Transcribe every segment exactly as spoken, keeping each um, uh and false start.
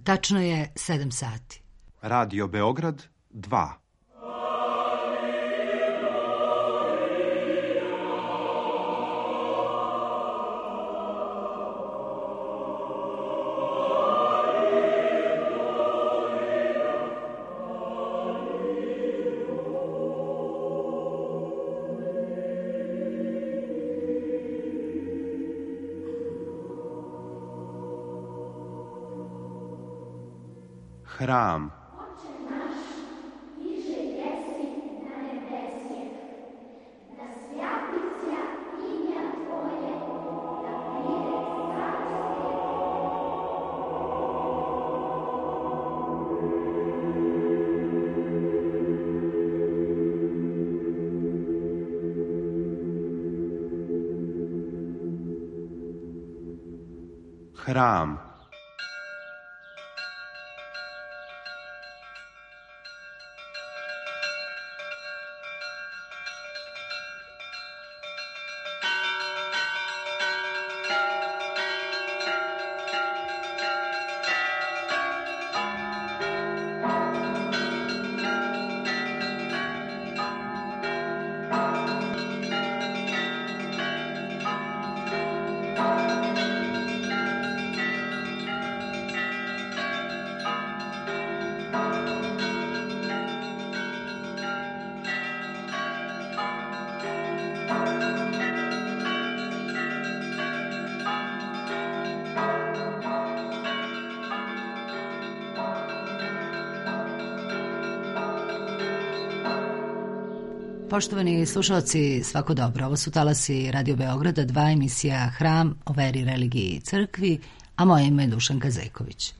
Tačno je sedam sati. Radio Beograd dva. Hram. Hram. Poštovani slušalci, svako dobro. Ovo su talasi Radio Beograda, dva, emisija Hram o veri, religiji i crkvi, a moje ime je Dušanka Zeković.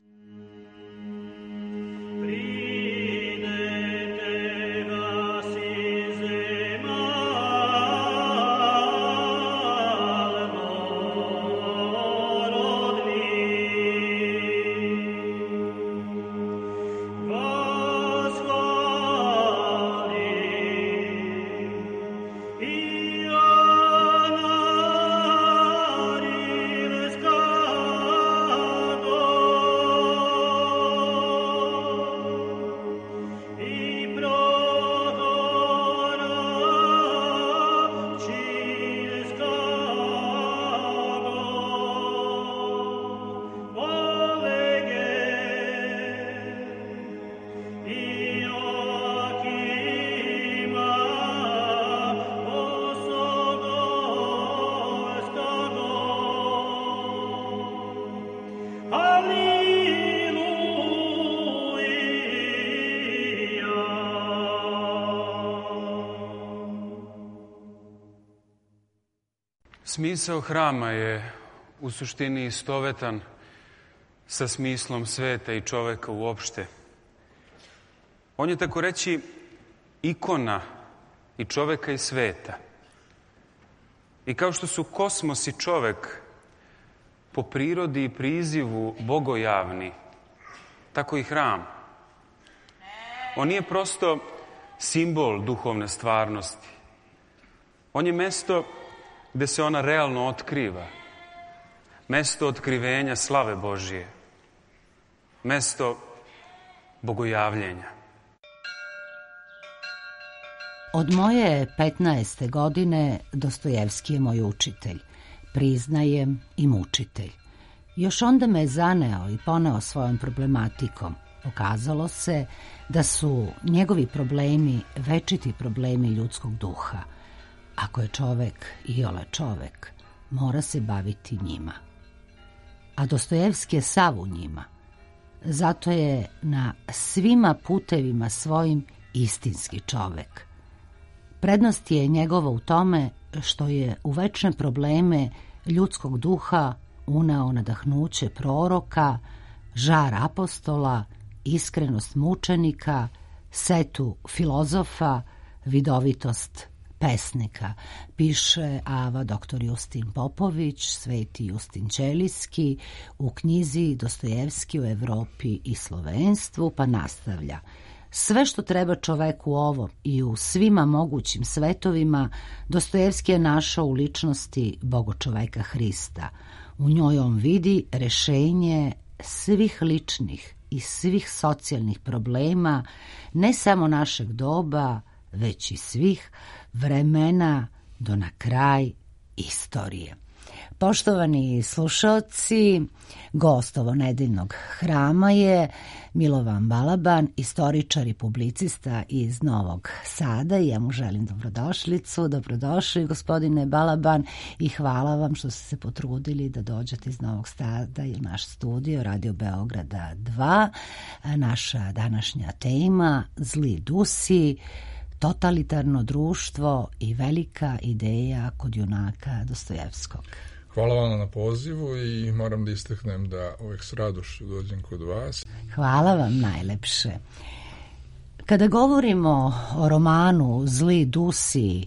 Smisao hrama je u suštini istovetan sa smislom sveta i čoveka uopšte. On je, tako reći, ikona i čoveka i sveta. I kao što su kosmos i čovek po prirodi i prizivu bogojavni, tako i hram. On nije prosto simbol duhovne stvarnosti. On je mesto gde se ona realno otkriva. Mesto otkrivenja slave Božije. Mesto bogojavljenja. Od moje petnaeste godine Dostojevski je moj učitelj, priznajem i mučitelj. Još onda me je zaneo i poneo svojom problematikom. Pokazalo se da su njegovi problemi večiti problemi ljudskog duha. Ako je čovek iole čovek, mora se baviti njima. A Dostojevski je sav u njima. Zato je na svima putevima svojim istinski čovek. Prednost je njegova u tome što je u večne probleme ljudskog duha uneo nadahnuće proroka, žar apostola, iskrenost mučenika, setu filozofa, vidovitost pesnika. Piše ava doktor Justin Popović, sveti Justin Ćelijski, u knjizi Dostojevski u Evropi i slovenstvu, pa nastavlja. Sve što treba čoveku u ovom i u svima mogućim svetovima, Dostojevski je našao u ličnosti bogočoveka Hrista. U njoj on vidi rešenje svih ličnih i svih socijalnih problema, ne samo našeg doba, već i svih vremena do na kraj istorije. Poštovani slušaoci, gost ovo nedeljnog hrama je Milovan Balaban, istoričar i publicista iz Novog Sada. Ja mu želim dobrodošlicu. Dobrodošli, gospodine Balaban, i hvala vam što ste se potrudili da dođete iz Novog Sada i u naš studio Radio Beograda dva. Naša današnja tema, zli dusi, totalitarno društvo i velika ideja kod junaka Dostojevskog. Hvala vam na pozivu i moram da istaknem da uvek s radošću dođem kod vas. Hvala vam najlepše. Kada govorimo o romanu Zli dusi,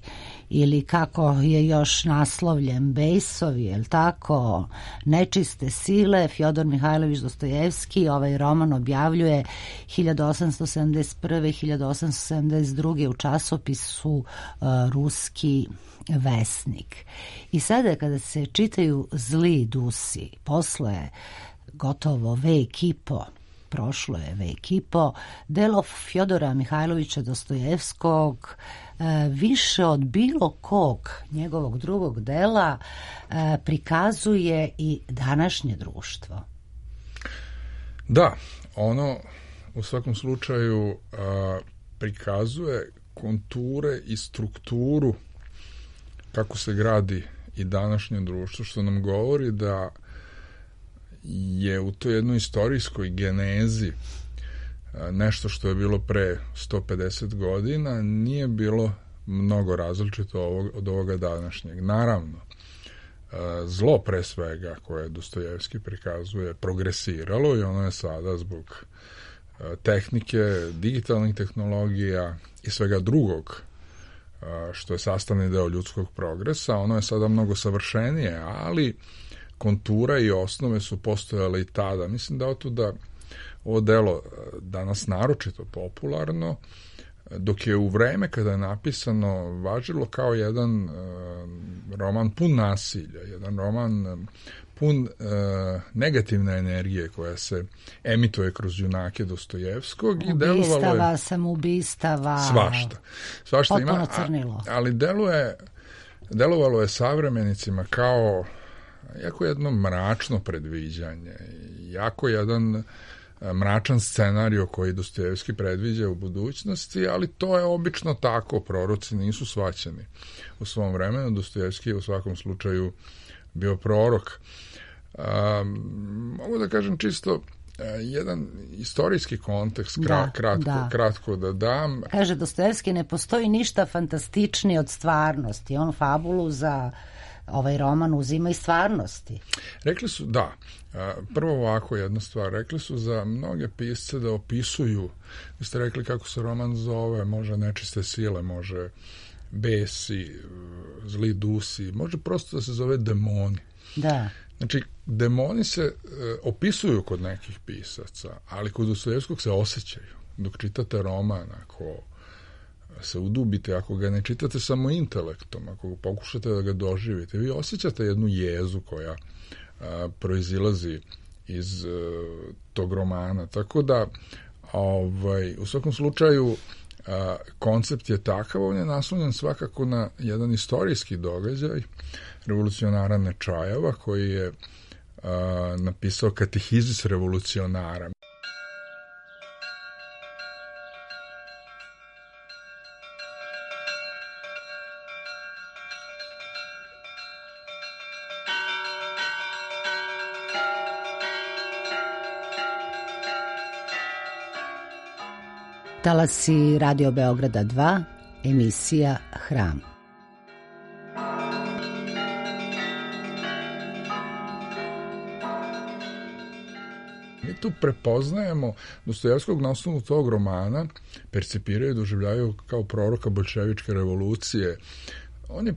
ili kako je još naslovljen Bejsovi, je li tako, nečiste sile, Fjodor Mihajlović Dostojevski ovaj roman objavljuje hiljadu osamsto sedamdeset prve. i hiljadu osamsto sedamdeset druge. u časopisu uh, Ruski Vesnik. I sada kada se čitaju Zli dusi, posle gotovo vek i po, prošlo je vek i po, delo Fjodora Mihajlovića Dostojevskog više od bilo kog njegovog drugog dela prikazuje i današnje društvo. Da, ono u svakom slučaju prikazuje konture i strukturu kako se gradi i današnje društvo, što nam govori da je u toj jednoj istorijskoj genezi nešto što je bilo pre sto pedeset godina nije bilo mnogo različito od ovoga današnjeg. Naravno, zlo pre svega koje Dostojevski prikazuje progresiralo i ono je sada zbog tehnike, digitalnih tehnologija i svega drugog što je sastavni deo ljudskog progresa, ono je sada mnogo savršenije, ali kontura i osnove su postojale i tada. Mislim da otuda ovo delo danas naročito popularno, dok je u vreme kada je napisano važilo kao jedan uh, roman pun nasilja, jedan roman pun uh, negativne energije koja se emituje kroz junake Dostojevskog. I ubistava, je, samoubistava, svašta. Svašta potpuno ima, crnilo. A, ali deluje, delovalo je savremenicima kao jako jedno mračno predviđanje, jako jedan mračan scenario koji Dostojevski predviđa u budućnosti, ali to je obično tako, proroci nisu shvaćeni u svom vremenu. Dostojevski je u svakom slučaju bio prorok. Um, mogu da kažem čisto jedan istorijski kontekst, kra, da, kratko, da. kratko da dam. Kaže Dostojevski, ne postoji ništa fantastičnije od stvarnosti. On fabulu za ovaj roman uzima iz stvarnosti. Rekli su, da, prvo ovako jedna stvar, rekli su za mnoge pisce da opisuju, vi ste rekli kako se roman zove, može nečiste sile, može besi, zli dusi, može prosto da se zove demoni. Da. Znači, demoni se e, opisuju kod nekih pisaca, ali kod Dostojevskog se osjećaju. Dok čitate roman, ako se udubite, ako ga ne čitate samo intelektom, ako pokušate da ga doživite, vi osjećate jednu jezu koja a, proizilazi iz a, tog romana. Tako da, ovaj, u svakom slučaju, a, koncept je takav, on je naslonjen svakako na jedan istorijski događaj revolucionara Nečajeva, koji je a, napisao Katehizis revolucionara. Talasi Radio Beograda dva, emisija Hram. Mi tu prepoznajemo Dostojevskog na osnovu tog romana, percipiraju i doživljaju kao proroka boljševičke revolucije. On je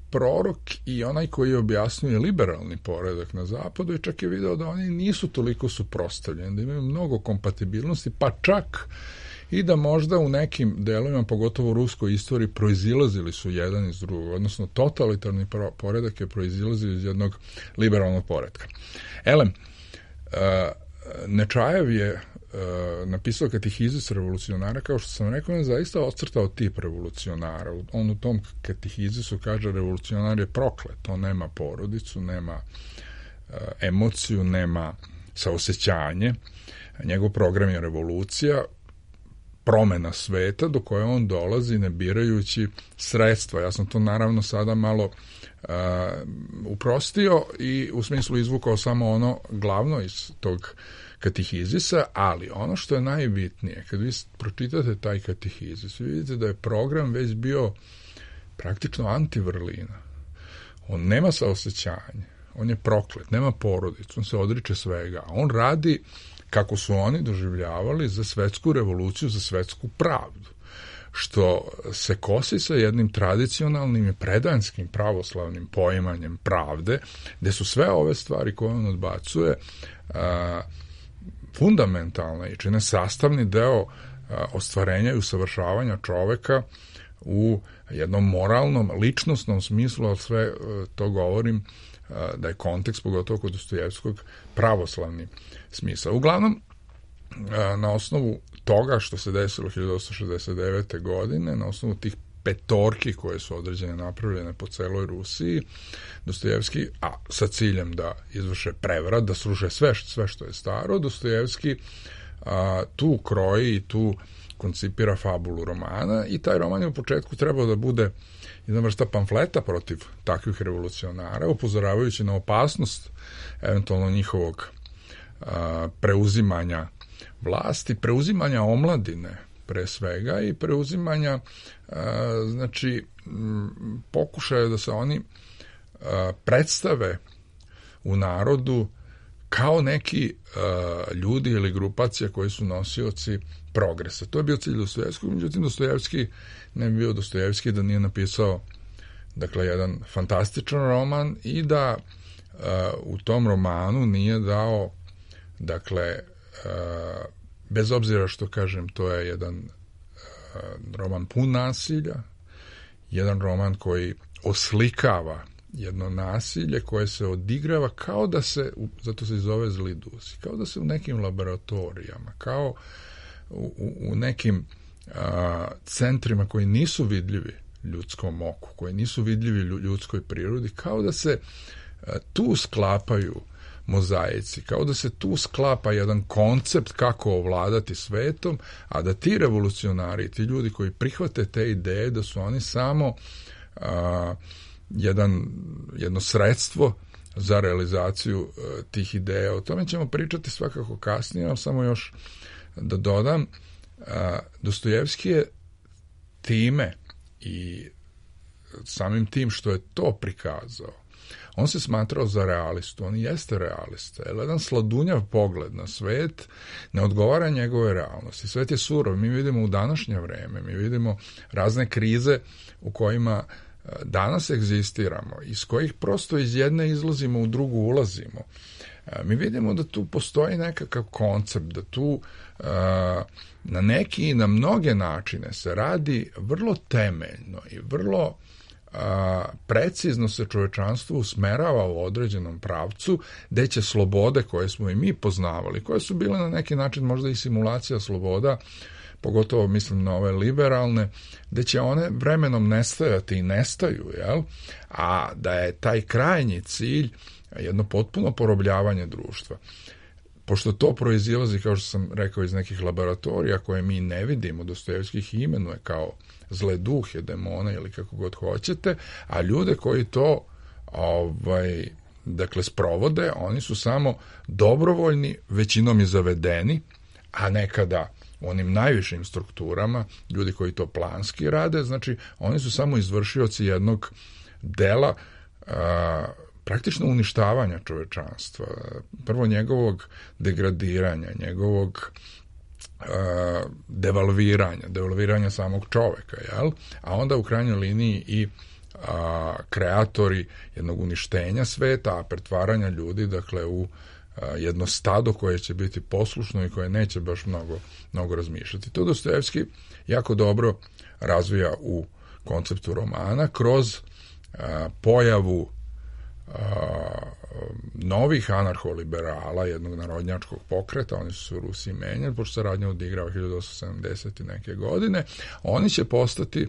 prorok i onaj koji objasnjuje liberalni poredak na zapadu i čak je video da oni nisu toliko suprotstavljeni, da imaju mnogo kompatibilnosti, pa čak i da možda u nekim delovima, pogotovo u ruskoj istoriji, proizilazili su jedan iz drugog, odnosno totalitarni poredak je proizilazio iz jednog liberalnog poretka. Elem, uh, Nečajev je napisao Katehizis revolucionara, kao što sam rekao, on je zaista ocrtao tip revolucionara. On u tom Katehizisu kaže revolucionar je proklet, on nema porodicu, nema emociju, nema saosećanje. Njegov program je revolucija, promena sveta do koje on dolazi ne birajući sredstva. Ja sam to naravno sada malo uh, uprostio i u smislu izvukao samo ono glavno iz tog katehizisa, ali ono što je najbitnije, kad vi pročitate taj katehizis, vi vidite da je program već bio praktično anti-vrlina. On nema saosećanje, on je proklet, nema porodicu, on se odriče svega. On radi kako su oni doživljavali za svetsku revoluciju, za svetsku pravdu, što se kosi sa jednim tradicionalnim i predanskim pravoslavnim poimanjem pravde, gde su sve ove stvari koje on odbacuje a, fundamentalne i čine sastavni deo a, ostvarenja i usavršavanja čoveka u jednom moralnom, ličnostnom smislu, ali sve a, to govorim a, da je kontekst, pogotovo kod Dostojevskog, pravoslavni smisao. Uglavnom, a, na osnovu toga što se desilo hiljadu osamsto šezdeset devete. godine, na osnovu tih petorki koje su određene napravljene po celoj Rusiji, Dostojevski, a sa ciljem da izvrše prevrat, da sruše sve, sve što je staro, Dostojevski a, tu kroji i tu koncipira fabulu romana i taj roman je u početku trebao da bude jedna vrsta pamfleta protiv takvih revolucionara, upozoravajući na opasnost eventualno njihovog a, preuzimanja vlasti, preuzimanja omladine pre svega i preuzimanja a, znači m, pokušaja da se oni a, predstave u narodu kao neki a, ljudi ili grupacija koji su nosioci progresa. To je bio cilj Dostojevskog, međutim Dostojevski ne bi bio Dostojevski da nije napisao dakle jedan fantastičan roman i da a, u tom romanu nije dao dakle a, bez obzira što kažem to je jedan a, roman pun nasilja, jedan roman koji oslikava jedno nasilje koje se odigrava kao da se, zato se i zove Zli dusi, kao da se u nekim laboratorijama, kao u, u nekim a, centrima koji nisu vidljivi ljudskom oku, koji nisu vidljivi ljudskoj prirodi, kao da se a, tu sklapaju mozaici, kao da se tu sklapa jedan koncept kako ovladati svetom, a da ti revolucionari, ti ljudi koji prihvate te ideje, da su oni samo a, jedan, jedno sredstvo za realizaciju a, tih ideja. O tome ćemo pričati svakako kasnije, ali samo još da dodam, a, Dostojevski je time i samim tim što je to prikazao, on se smatrao za realistu, on jeste realista, jer jedan sladunjav pogled na svet ne odgovara njegove realnosti. Svet je surov, mi vidimo u današnje vreme, mi vidimo razne krize u kojima danas egzistiramo, iz kojih prosto iz jedne izlazimo, u drugu ulazimo. Mi vidimo da tu postoji nekakav koncept, da tu na neki i na mnoge načine se radi vrlo temeljno i vrlo a, precizno se čovečanstvo usmerava u određenom pravcu, gde će slobode koje smo i mi poznavali, koje su bile na neki način možda i simulacija sloboda, pogotovo mislim na ove liberalne, gde će one vremenom nestajati i nestaju, jel? A da je taj krajnji cilj jedno potpuno porobljavanje društva. Pošto to proizilazi, kao što sam rekao, iz nekih laboratorija koje mi ne vidimo, Dostojevski ih imenuje kao zle duhe, demone ili kako god hoćete, a ljude koji to ovaj, dakle sprovode, oni su samo dobrovoljni, većinom i zavedeni, a nekada u onim najvišim strukturama, ljudi koji to planski rade, znači oni su samo izvršioci jednog dela a, praktično uništavanja čovečanstva, prvo njegovog degradiranja, njegovog uh, devalviranja, devalviranja samog čoveka, jel? A onda u krajnjoj liniji i uh, kreatori jednog uništenja sveta, a pretvaranja ljudi, dakle, u uh, jedno stado koje će biti poslušno i koje neće baš mnogo, mnogo razmišljati. To Dostojevski jako dobro razvija u konceptu romana kroz uh, pojavu novih anarholiberala, jednog narodnjačkog pokreta, oni su se u Rusiji menjali, pošto se radnja odigrava hiljadu osamsto sedamdeset neke godine, oni će postati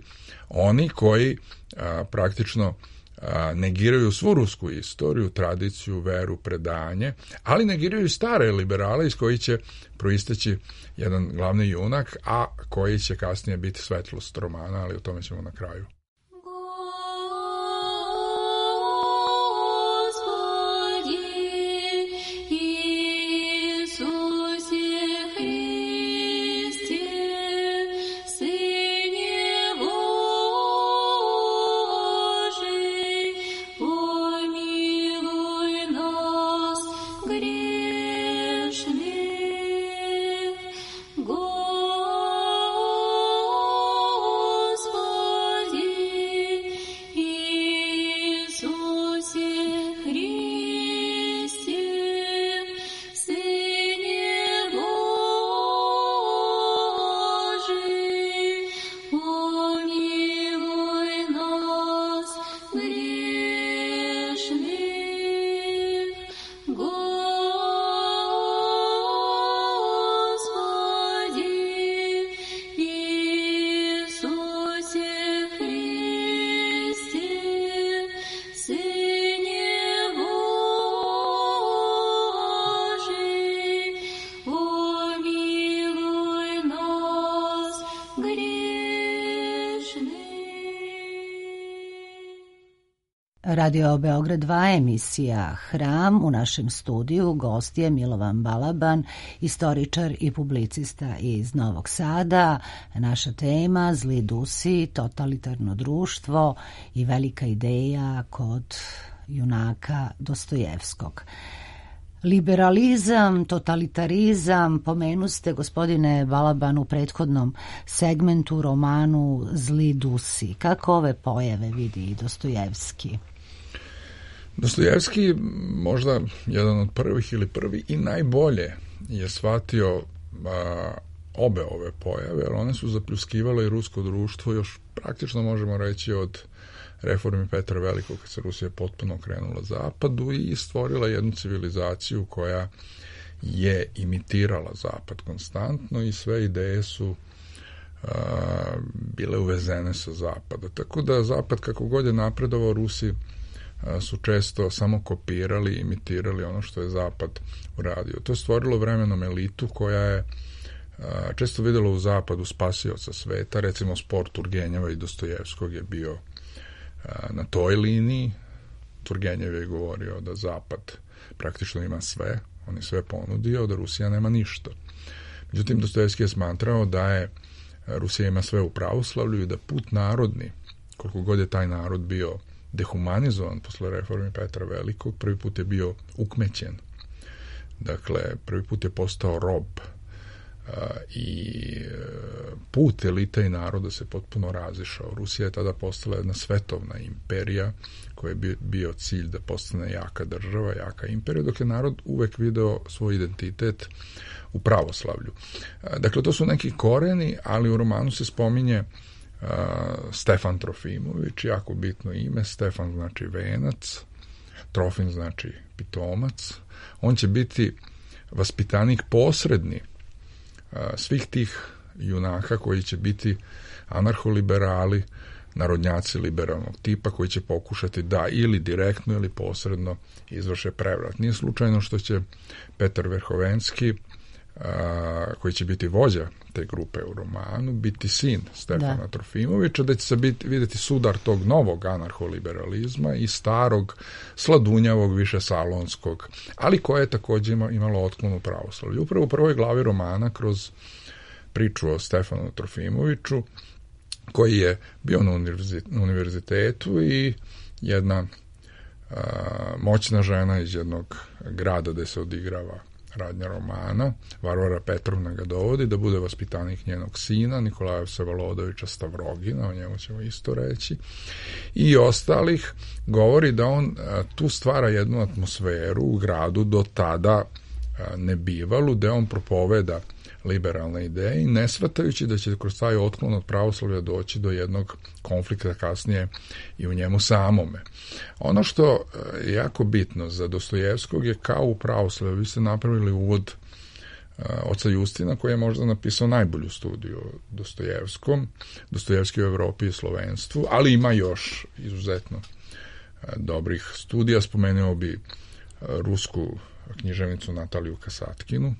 oni koji a, praktično a, negiraju svu rusku istoriju, tradiciju, veru, predanje, ali negiraju i stare liberale iz koji će proisteći jedan glavni junak, a koji će kasnije biti svetlost romana, ali o tome ćemo na kraju. Radio Beograd dva, emisija Hram. U našem studiju gost je Milovan Balaban, istoričar i publicista iz Novog Sada. Naša tema: zli dusi, totalitarno društvo i velika ideja kod junaka Dostojevskog. Liberalizam, totalitarizam, pomenuste, gospodine Balaban, u prethodnom segmentu romanu Zli dusi. Kako ove pojave vidi Dostojevski? Dostojevski, možda jedan od prvih ili prvi i najbolje je shvatio a, obe ove pojave, jer one su zapljuskivale i rusko društvo još praktično možemo reći od reformi Petra Velikog, kad se Rusija potpuno okrenula zapadu i stvorila jednu civilizaciju koja je imitirala zapad konstantno i sve ideje su a, bile uvezene sa zapada. Tako da zapad, kako god je napredovao, Rusi a, su često samo kopirali, imitirali ono što je zapad uradio. To je stvorilo vremenom elitu koja je a, često videla u zapadu spasioca sveta. Recimo spor Turgenjeva i Dostojevskog je bio na toj liniji. Turgenjev je govorio da zapad praktično ima sve, on je sve ponudio, da Rusija nema ništa. Međutim, Dostojevski je smatrao da je Rusija ima sve u pravoslavlju i da put narodni, koliko god je taj narod bio dehumanizovan posle reforme Petra Velikog, prvi put je bio ukmećen. Dakle, prvi put je postao rob i put elita i naroda se potpuno razišao. Rusija je tada postala jedna svetovna imperija koja je bio cilj da postane jaka država, jaka imperija, dok je narod uvek video svoj identitet u pravoslavlju. Dakle, to su neki koreni, ali u romanu se spominje uh, Stefan Trofimović, jako bitno ime. Stefan znači venac, Trofim znači pitomac. On će biti vaspitanik posredni svih tih junaka koji će biti anarholiberali, narodnjaci liberalnog tipa, koji će pokušati da ili direktno ili posredno izvrše prevrat. Nije slučajno što će Petar Verhovenski, a, koji će biti vođa te grupe u romanu, biti sin Stefana da. Trofimovića, da će se biti, vidjeti sudar tog novog anarholiberalizma i starog, sladunjavog, više salonskog, ali koje je također imalo otklon u pravoslavlju. Upravo u prvoj glavi romana, kroz priču o Stefanu Trofimoviću, koji je bio na univerzitetu i jedna a, moćna žena iz jednog grada gde se odigrava radnja romana, Varvara Petrovna ga dovodi da bude vaspitanik njenog sina, Nikolaja Vsevolodovичa Stavrogina, o njemu ćemo isto reći, i ostalih. Govori da on a, tu stvara jednu atmosferu u gradu do tada a, nebivalu, da on propoveda liberalne ideje i ne shvatajući da će kroz taj otklon od pravoslavlja doći do jednog konflikta kasnije i u njemu samome. Ono što je jako bitno za Dostojevskog je kao u pravoslavlju, vi ste napravili uvod oca Justina koji je možda napisao najbolju studiju o Dostojevskom, Dostojevski u Evropi i slovenstvu, ali ima još izuzetno dobrih studija. Spomenuo bi rusku književnicu Nataliju Kasatkinu.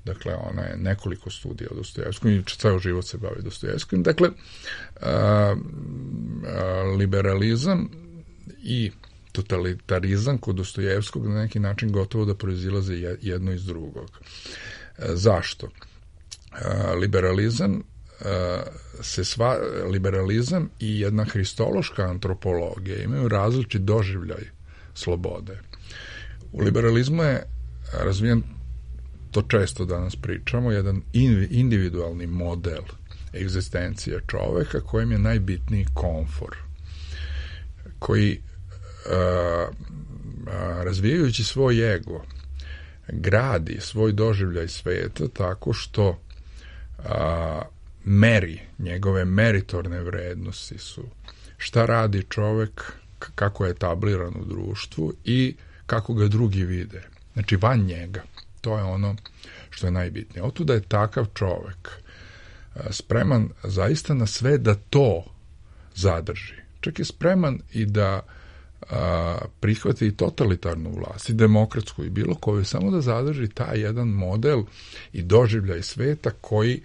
Dakle, ona je nekoliko studija o Dostojevskom i ceo život se bavi Dostojevskim. Dakle, a, a, liberalizam i totalitarizam kod Dostojevskog na neki način gotovo da proizilaze jedno iz drugog. A, zašto? A, liberalizam a, se sva, liberalizam i jedna hristološka antropologija imaju različit doživljaj slobode. U liberalizmu je razvijen, to često danas pričamo, jedan individualni model egzistencije čoveka kojem je najbitniji komfor, koji a, a, razvijajući svoj ego gradi svoj doživljaj sveta tako što a, meri, njegove meritorne vrednosti su šta radi čovek, kako je etabliran u društvu i kako ga drugi vide. Znači, van njega. To je ono što je najbitnije. Otuda je takav čovek spreman zaista na sve da to zadrži. Čak je spreman i da a, prihvati i totalitarnu vlast, i demokratsku, i bilo koju, samo da zadrži taj jedan model i doživljaj sveta koji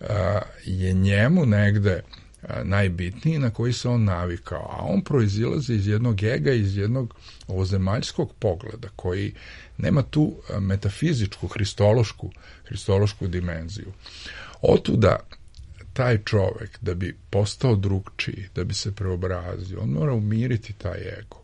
a, je njemu negde a, najbitniji, na koji se on navikao. A on proizilazi iz jednog ega, iz jednog ovozemaljskog pogleda, koji nema tu metafizičku, hristološku, hristološku dimenziju. Otuda taj čovek, da bi postao drugčiji, da bi se preobrazio, on mora umiriti taj ego.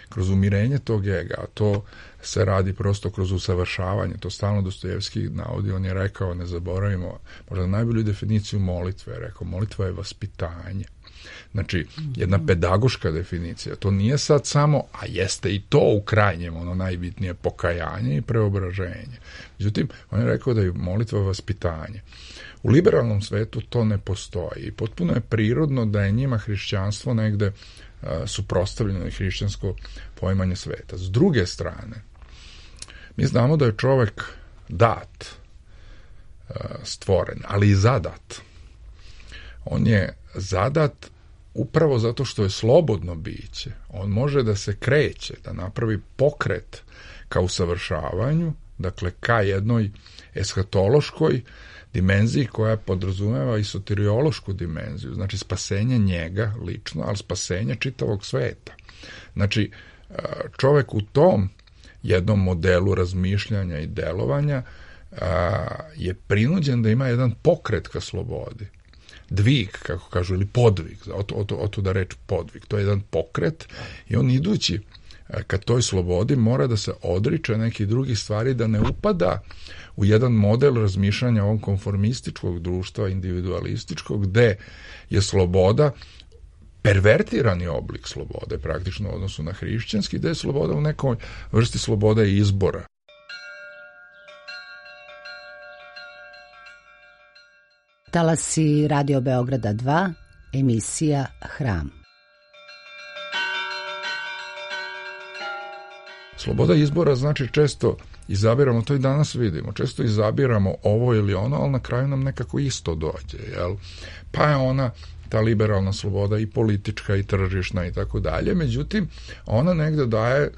Kroz umirenje tog ega, a to se radi prosto kroz usavršavanje, to stalno Dostojevski navodi, on je rekao, ne zaboravimo, možda najbolju definiciju molitve, je rekao, molitva je vaspitanje. Znači, jedna pedagoška definicija, to nije sad samo, a jeste i to u krajnjem, ono najbitnije, pokajanje i preobraženje. Međutim, on je rekao da je molitva vaspitanje. U liberalnom svetu to ne postoji i potpuno je prirodno da je njima hrišćanstvo negde a, suprotstavljeno i hrišćansko poimanje sveta. S druge strane, mi znamo da je čovek dat, a, stvoren, ali i zadat. On je zadat upravo zato što je slobodno biće. On može da se kreće, da napravi pokret ka usavršavanju, dakle ka jednoj eshatološkoj dimenziji koja podrazumeva i soteriološku dimenziju, znači spasenje njega lično, ali spasenje čitavog sveta. Znači, čovek u tom jednom modelu razmišljanja i delovanja je prinuđen da ima jedan pokret ka slobodi. Dvig, kako kažu, ili podvig, otuda reč podvig, to je jedan pokret i on idući ka toj slobodi mora da se odriče nekih drugih stvari, da ne upada u jedan model razmišljanja ovog konformističkog društva, individualističkog, gde je sloboda pervertirani oblik slobode, praktično u odnosu na hrišćanski, gde je sloboda u nekoj vrsti slobode i izbora. Talasi Radio Beograda dva, emisija Hram. Sloboda izbora znači često izabiramo, to i danas vidimo, često izabiramo ovo ili ono, ali na kraju nam nekako isto dođe, jel? Pa je ona, ta liberalna sloboda, i politička i tržišna i tako dalje, međutim, ona negde daje e,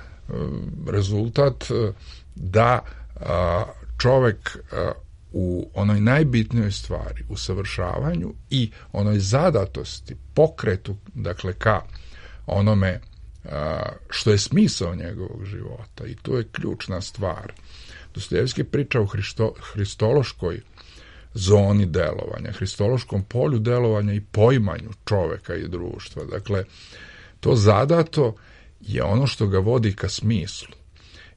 rezultat e, da a, čovek a, u onoj najbitnijoj stvari, u savršavanju i onoj zadatosti, pokretu, dakle, ka onome a, što je smisao njegovog života. I to je ključna stvar. Dostojevski priča o hristo, hristološkoj zoni delovanja, hristološkom polju delovanja i poimanju čoveka i društva. Dakle, to zadato je ono što ga vodi ka smislu.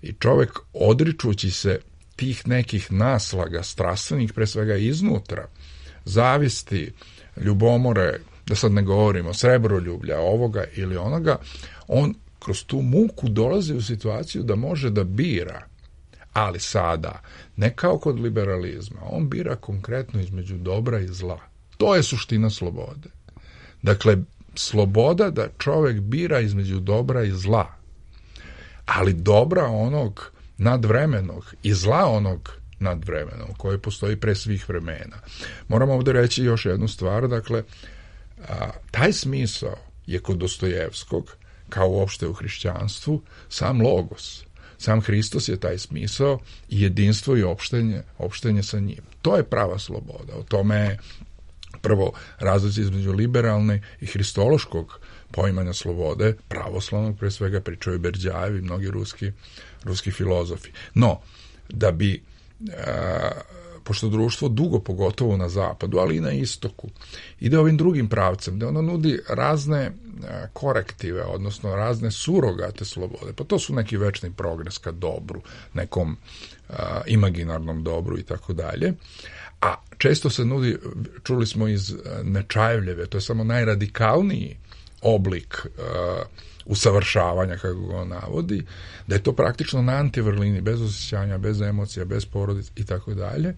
I čovek, odričući se tih nekih naslaga strastvenih, pre svega iznutra, zavisti, ljubomore, da sad ne govorimo, srebroljublja, ovoga ili onoga, on kroz tu muku dolazi u situaciju da može da bira, Ali sada, ne kao kod liberalizma, on bira konkretno između dobra i zla. To je suština slobode. Dakle, sloboda da čovek bira između dobra i zla, ali dobra onog nadvremenog i zla onog nadvremenog, koje postoji pre svih vremena. Moramo ovde reći još jednu stvar, dakle, a, taj smisao je kod Dostojevskog, kao uopšte u hrišćanstvu, sam logos. Sam Hristos je taj smisao i jedinstvo i opštenje, opštenje sa njim. To je prava sloboda. O tome je prvo razlici između liberalne i hristološkog poimanja slobode, pravoslavnog, pre svega pričaju Berđajev i mnogi ruski, ruski filozofi. No, da bi, a, pošto društvo dugo, pogotovo na zapadu, ali i na istoku, ide ovim drugim pravcem, da ono nudi razne a, korektive, odnosno razne surogate slobode, pa to su neki večni progres ka dobru, nekom a, imaginarnom dobru i tako dalje. A često se nudi, čuli smo iz Nečajevljeve, to je samo najradikalniji oblik uh, usavršavanja, kako ga on navodi, da je to praktično na antivrlini, bez osjećanja, bez emocija, bez porodice i tako dalje.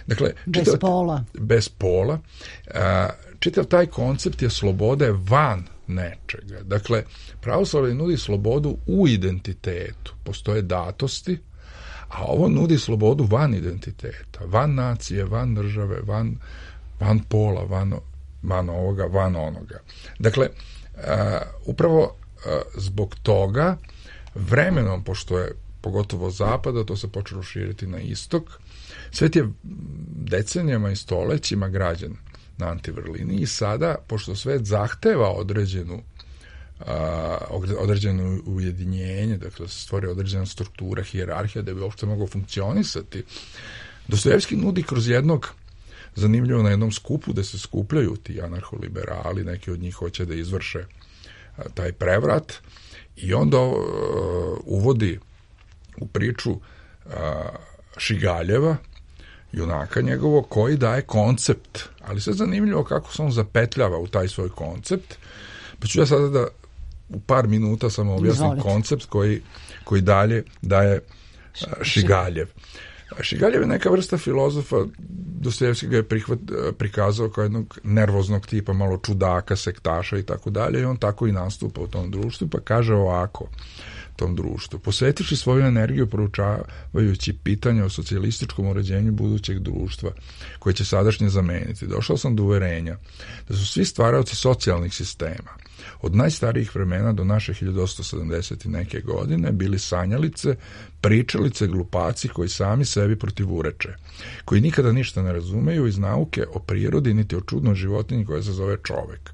Dakle, bez čitav, pola. Bez pola. Uh, čitav taj koncept je slobode van nečega. Dakle, pravoslavlje nudi slobodu u identitetu. Postoje datosti, a ovo nudi slobodu van identiteta, van nacije, van države, van, van pola, van, van ovoga, van onoga. Dakle, uh, upravo uh, zbog toga vremenom, pošto je pogotovo zapada, to se počelo širiti na istok, svet je decenijama i stolećima građen na antivrlini i sada, pošto svet zahteva određenu Uh, određeno ujedinjenje, dakle se stvori određena struktura, hijerarhija da bi uopšte moglo funkcionisati. Dostojevski nudi kroz jednog, zanimljivo na jednom skupu da se skupljaju ti anarholiberali, neki od njih hoće da izvrše uh, taj prevrat i onda uh, uvodi u priču uh, Šigaljeva, junaka njegovog, koji daje koncept, ali sve zanimljivo kako se on zapetljava u taj svoj koncept, pa ću ja sada da u par minuta samo objasnim Izvolite. koncept koji, koji dalje daje Šigaljev. Šigaljev je neka vrsta filozofa, Dostojevski ga je prihvat, prikazao kao jednog nervoznog tipa, malo čudaka, sektaša i tako dalje, i on tako i nastupa u tom društvu, pa kaže ovako tom društvu. Posvetiši svoju energiju proučavajući pitanja o socijalističkom uređenju budućeg društva, koje će sadašnje zameniti, došao sam do uverenja da su svi stvaraoci socijalnih sistema, od najstarijih vremena do naše hiljadu osamsto sedamdeset i neke godine, bili sanjalice, pričalice, glupaci koji sami sebi protivureče, koji nikada ništa ne razumeju iz nauke o prirodi, niti o čudnoj životinji koja se zove čovek.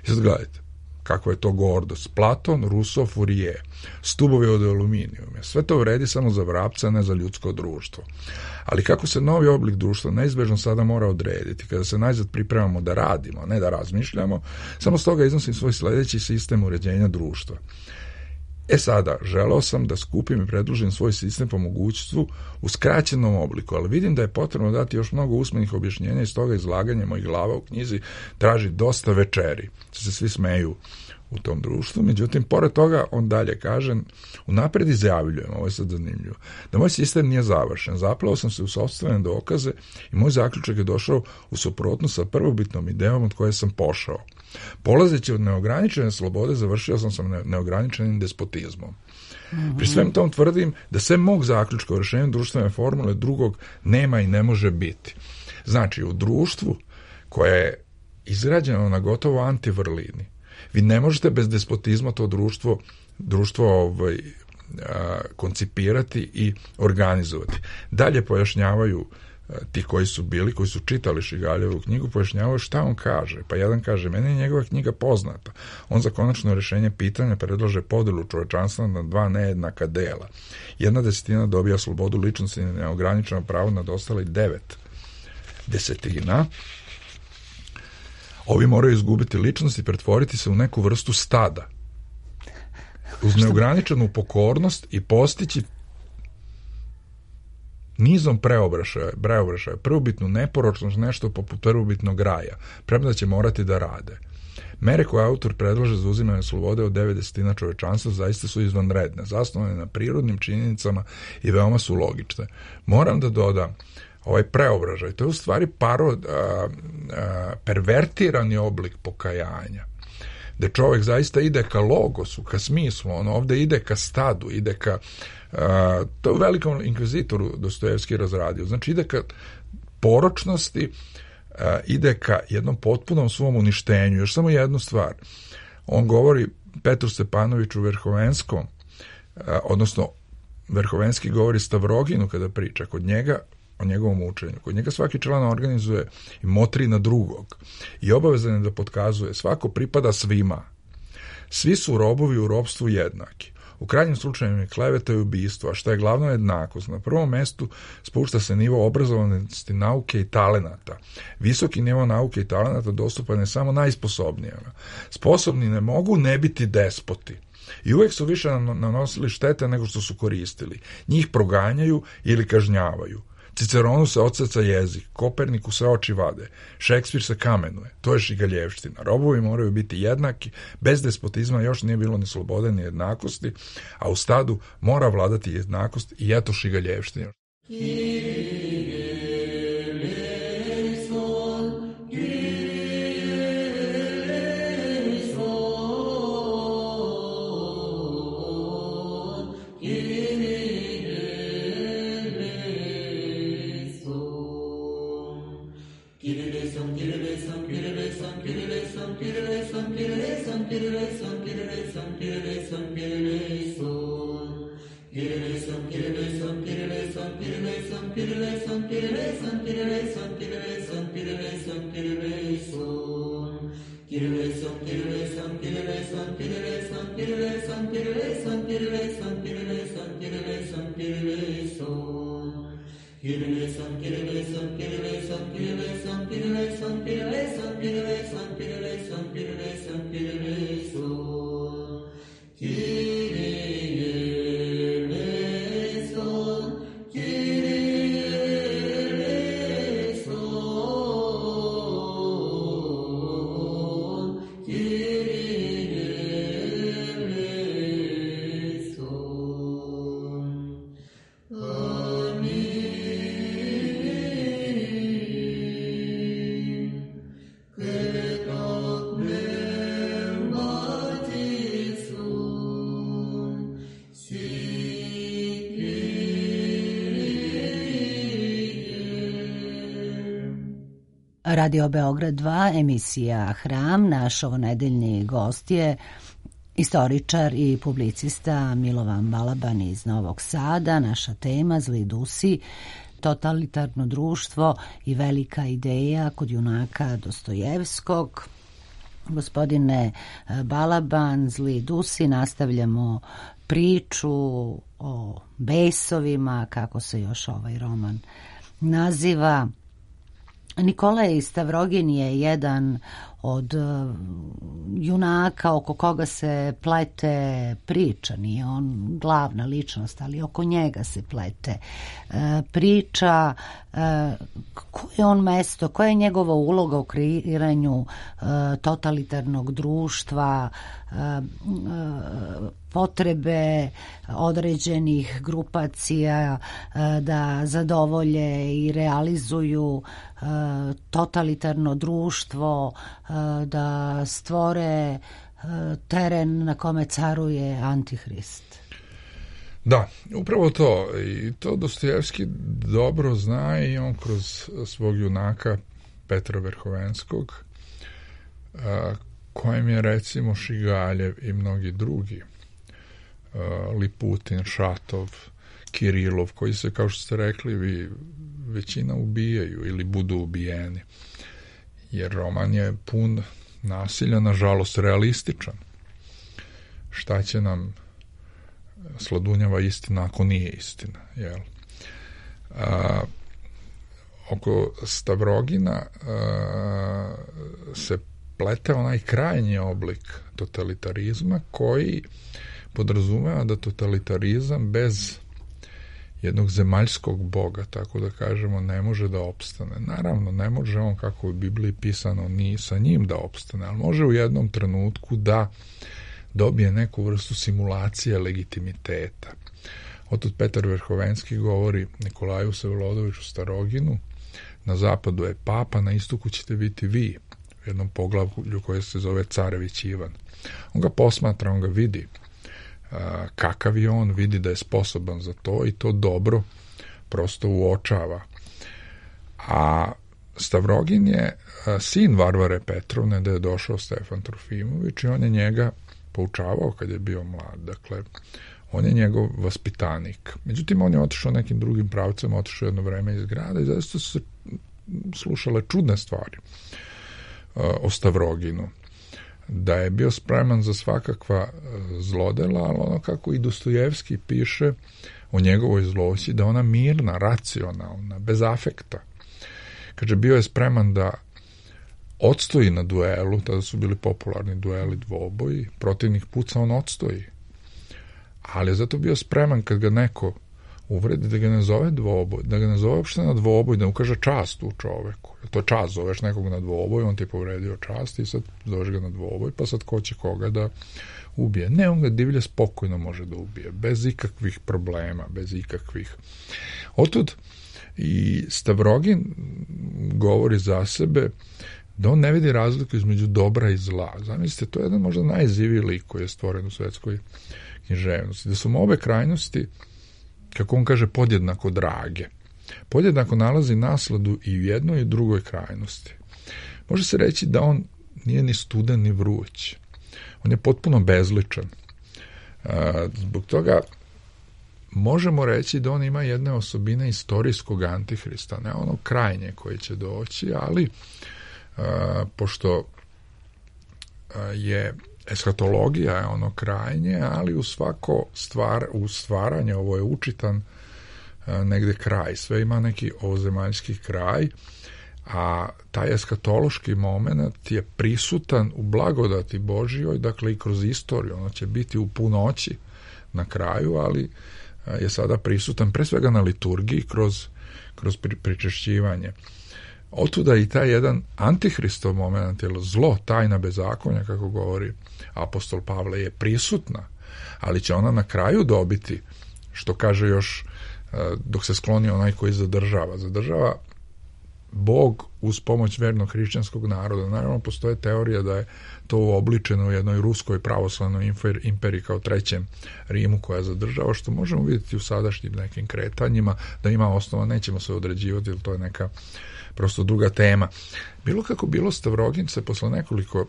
I sad gledajte, kakva je to gordost. Platon, Rousseau, Fourier, stubovi od aluminijuma. Sve to vredi samo za vrapca, ne za ljudsko društvo. Ali kako se novi oblik društva neizbežno sada mora odrediti, kada se najzad pripremamo da radimo, ne da razmišljamo, samo s toga iznosim svoj sledeći sistem uređenja društva. E sada, želeo sam da skupim i predložim svoj sistem po mogućstvu u skraćenom obliku, ali vidim da je potrebno dati još mnogo usmenih objašnjenja i s toga izlaganje mojih glava u knjizi traži dosta večeri. Se svi smeju u tom društvu, međutim, pored toga, on dalje kaže, unapred izjavljujem, ovo je sad zanimljivo, da moj sistem nije završen. Zaplao sam se u sopstvene dokaze i moj zaključak je došao u suprotnost sa prvobitnom idejom od koje sam pošao. Polazeći od neograničene slobode, završio sam sa neograničenim despotizmom. Mm-hmm. Pri svem tom tvrdim da sve mog zaključka o rešenju društvene formule drugog nema i ne može biti. Znači, u društvu koje je izgrađeno na gotovo antivrlini, vi ne možete bez despotizma to društvo, društvo ovaj, a, koncipirati i organizovati. Dalje pojašnjavaju a, ti koji su bili, koji su čitali Šigaljevu knjigu, pojašnjavaju šta on kaže. Pa jedan kaže, meni je njegova knjiga poznata. On za konačno rešenje pitanja predlaže podelu čovečanstva na dva nejednaka dela. Jedna desetina dobija slobodu ličnosti i neograničeno pravo nad ostali devet desetina. Ovi moraju izgubiti ličnost i pretvoriti se u neku vrstu stada. Uz neograničenu pokornost i postići nizom preobrašaja, preobrašaja, prvobitnu neporočnost, nešto poput prvobitnog raja, premda će morati da rade. Mere koje autor predlaže za uzimanje slobode od devet desetina čovečanstva zaista su izvanredne, zasnovane na prirodnim činjenicama i veoma su logične. Moram da dodam, ovaj preobražaj, to je u stvari parod, a, a, pervertirani oblik pokajanja, gde čovek zaista ide ka logosu, ka smislu, on ovde ide ka stadu, ide ka, a, to je u Velikom inkvizitoru Dostojevski razradio, znači ide ka poročnosti, a, ide ka jednom potpunom svom uništenju. Još samo jednu stvar, on govori Petru Stepanoviću Verhovenskom, a, odnosno Verhovenski govori Stavroginu kada priča, kod njega o njegovom učenju. Kod njega svaki član organizuje i motri na drugog i obavezan je da potkazuje svako pripada svima. Svi su robovi u ropstvu jednaki. U krajnjem slučaju je kleveta i ubistvo, a što je glavno jednakost. Na prvom mestu spušta se nivo obrazovanosti nauke i talenata. Visoki nivo nauke i talenata dostupan je samo najsposobnijima. Sposobni ne mogu ne biti despoti. I uvek su više nanosili štete nego što su koristili. Njih proganjaju ili kažnjavaju. Ciceronu se odseca jezik, Koperniku se oči vade, Šekspir se kamenuje, to je šigaljevština. Robovi moraju biti jednaki, bez despotizma još nije bilo ni slobode ni jednakosti, a u stadu mora vladati jednakost i eto šigaljevština. Radio Beograd dva, emisija Hram. Naš ovonedeljni gost je istoričar i publicista Milovan Balaban iz Novog Sada. Naša tema Zli Dusi, totalitarno društvo i velika ideja kod junaka Dostojevskog. Gospodine Balaban, Zli Dusi, nastavljamo priču o besovima, kako se još ovaj roman naziva. Nikolaj Stavrogin je jedan od junaka oko koga se plete priča, nije on glavna ličnost, ali oko njega se plete priča, koje je on mesto, koja je njegova uloga u kreiranju totalitarnog društva, potrebe određenih grupacija da zadovolje i realizuju totalitarno društvo, da stvore teren na kome caruje Antihrist. Da, upravo to. I to Dostojevski dobro zna i on kroz svog junaka Petra Verhovenskog, kojem je recimo Šigaljev i mnogi drugi, Liputin, Šatov, Kirilov, koji se, kao što ste rekli, vi, većina ubijaju ili budu ubijeni. Jer roman je pun nasilja, nažalost realističan. Šta će nam sladunjava istina ako nije istina, jel? A, oko Stavrogina a, se plete onaj krajnji oblik totalitarizma koji podrazumeva da totalitarizam bez jednog zemaljskog boga, tako da kažemo, ne može da opstane. Naravno, ne može on, kako u Bibliji pisano, ni sa njim da opstane, ali može u jednom trenutku da dobije neku vrstu simulacije legitimiteta. Otud Petar Verhovenski govori Nikolaju Vsevolodovичu Staroginu, na zapadu je papa, na istoku ćete biti vi, u jednom poglavlju koje se zove Carević Ivan. On ga posmatra, on ga vidi kakav je on, vidi da je sposoban za to i to dobro prosto uočava. A Stavrogin je sin Varvare Petrovne, da je došao Stefan Trofimović i on je njega poučavao kad je bio mlad. Dakle, on je njegov vaspitanik. Međutim, on je otišao nekim drugim pravcem, otišao jedno vreme iz grada i zaista su se slušale čudne stvari o Stavroginu. Da je bio spreman za svakakva zlodela, ali ono kako i Dostojevski piše o njegovoj zloći, da ona mirna, racionalna, bez afekta. Kaže, bio je spreman da odstoji na duelu, tada su bili popularni dueli dvoboji, protivnik puca, on odstoji. Ali je zato bio spreman kad ga neko uvredi, da ga ne zove dvoboj, da ga ne zove uopšte na dvoboj, da ukaže čast u čoveku. To je čast, zoveš nekog na dvoboj, on ti je povredio čast i sad zoveš ga na dvoboj, pa sad ko će koga da ubije. Ne, on ga divlje spokojno može da ubije, bez ikakvih problema, bez ikakvih. Otud i Stavrogin govori za sebe da on ne vidi razliku između dobra i zla. Zamislite, to je jedan možda najziviji lik koji je stvoren u svetskoj književnosti. Da su mu obe krajnosti, kako on kaže, podjednako drage. Podjednako nalazi nasladu i u jednoj i u drugoj krajnosti. Može se reći da on nije ni studen ni vruć. On je potpuno bezličan. Zbog toga možemo reći da on ima jedne osobine istorijskog antihrista, ne ono krajnje koje će doći, ali pošto je eskatologija je ono krajnje, ali u svako stvar, u stvaranje ovo je učitan negde kraj. Sve ima neki ovozemaljski kraj, a taj eskatološki moment je prisutan u blagodati Božjoj, dakle i kroz istoriju. Ono će biti u punoći na kraju, ali je sada prisutan pre svega na liturgiji kroz, kroz pričešćivanje. Otuda i taj jedan antihristov moment, jer zlo, tajna bezakonja, kako govori apostol Pavle, je prisutna, ali će ona na kraju dobiti, što kaže još, dok se skloni onaj koji zadržava. Zadržava Bog uz pomoć vernog hrišćanskog naroda. Naravno, postoje teorija da je to uobličeno u jednoj ruskoj pravoslavnoj imperiji kao trećem Rimu koja zadržava, što možemo vidjeti u sadašnjim nekim kretanjima, da ima osnova, nećemo se određivati, jer to je neka prosto druga tema. Bilo kako bilo, Stavrogin se posle nekoliko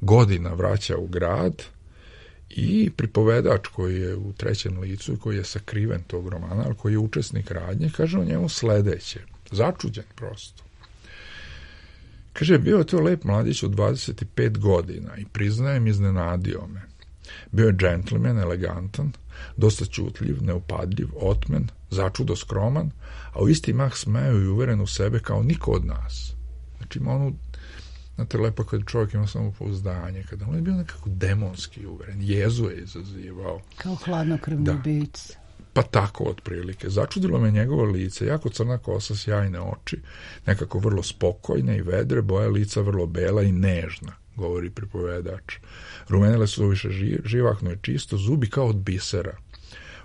godina vraća u grad i pripovedač koji je u trećem licu i koji je sakriven tog romana, ali koji je učesnik radnje, kaže o njemu sledeće, začuđen prosto. Kaže, bio je to lep mladić od dvadeset pet godina i priznajem, iznenadio me. Bio je džentlmen, elegantan, dosta ćutljiv, neupadljiv, otmen, začudo skroman, a u isti mah smeo i uveren u sebe kao niko od nas. Znači ima onu, znate, lepo kad čovjek ima samopouzdanje, kada on je bio nekako demonski uveren, jezu je izazivao. Kao hladnokrvni bic. Pa tako, otprilike. Začudilo me njegovo lice, jako crna kosa, sjajne oči, nekako vrlo spokojne i vedre, boja lica vrlo bela i nežna, govori pripovedač. Rumenile su više živahno i čisto, zubi kao od bisera,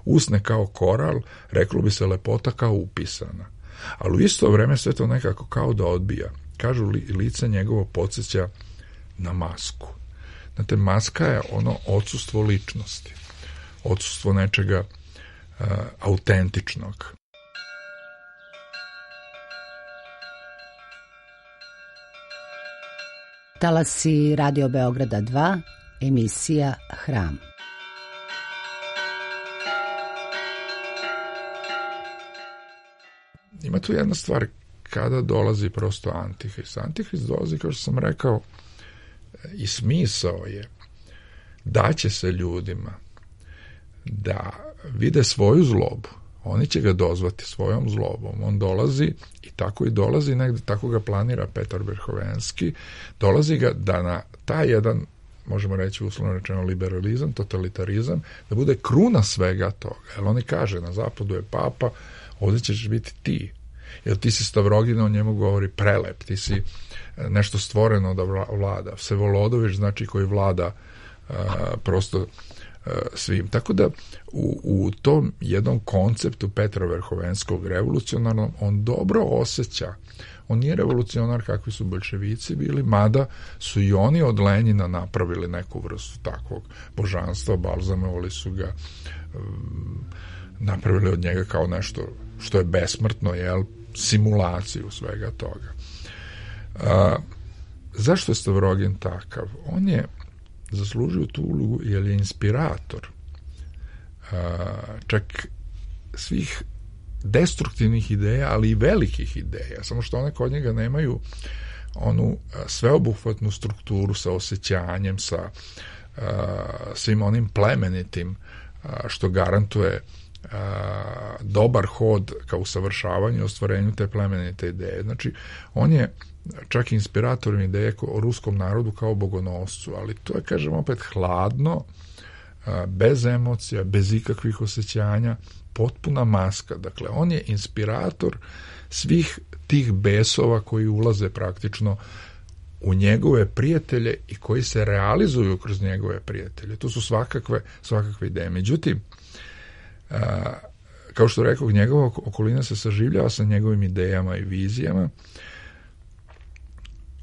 usne kao koral, reklo bi se lepota kao upisana. Ali u isto vreme sve to nekako kao da odbija. Kažu, li, lice njegovo podsjeća na masku. Znate, maska je ono odsustvo ličnosti, odsustvo nečega uh, autentičnog. Talasi Radio Beograda dva, emisija Hram. Ima tu jedna stvar, kada dolazi prosto antihrist. Antihrist dolazi, kao što sam rekao, i smisao je da će se ljudima da vide svoju zlobu. Oni će ga dozvati svojom zlobom. On dolazi i tako i dolazi negde, tako ga planira Petar Verhovenski, dolazi ga da na taj jedan možemo reći uslovno rečeno liberalizam, totalitarizam, da bude kruna svega toga. Jer oni kaže, na zapadu je papa, ovdje ćeš biti ti. Jer ti si Stavrogin, on njemu govori prelep, ti si nešto stvoreno da vlada. Vsevolodović znači koji vlada uh, prosto uh, svim. Tako da u, u tom jednom konceptu Petra Verhovenskog revolucionarnom on dobro osjeća. On nije revolucionar kakvi su bolševici bili, mada su i oni od Lenjina napravili neku vrstu takvog božanstva, balzamovali su ga, um, napravili od njega kao nešto što je besmrtno, jel, simulaciju svega toga. A, zašto je Stavrogin takav? On je zaslužio tu ulogu jer je inspirator a, čak svih destruktivnih ideja, ali i velikih ideja, samo što one kod njega nemaju onu sveobuhvatnu strukturu sa osjećanjem, sa a, svim onim plemenitim a, što garantuje a, dobar hod ka usavršavanju i ostvarenju te plemenite ideje. Znači, on je čak inspiratorom ideje o ruskom narodu kao bogonoscu, ali to je, kažem, opet hladno, a, bez emocija, bez ikakvih osjećanja, potpuna maska. Dakle, on je inspirator svih tih besova koji ulaze praktično u njegove prijatelje i koji se realizuju kroz njegove prijatelje. To su svakakve, svakakve ideje. Međutim, a, kao što rekao, njegova okolina se saživljava sa njegovim idejama i vizijama,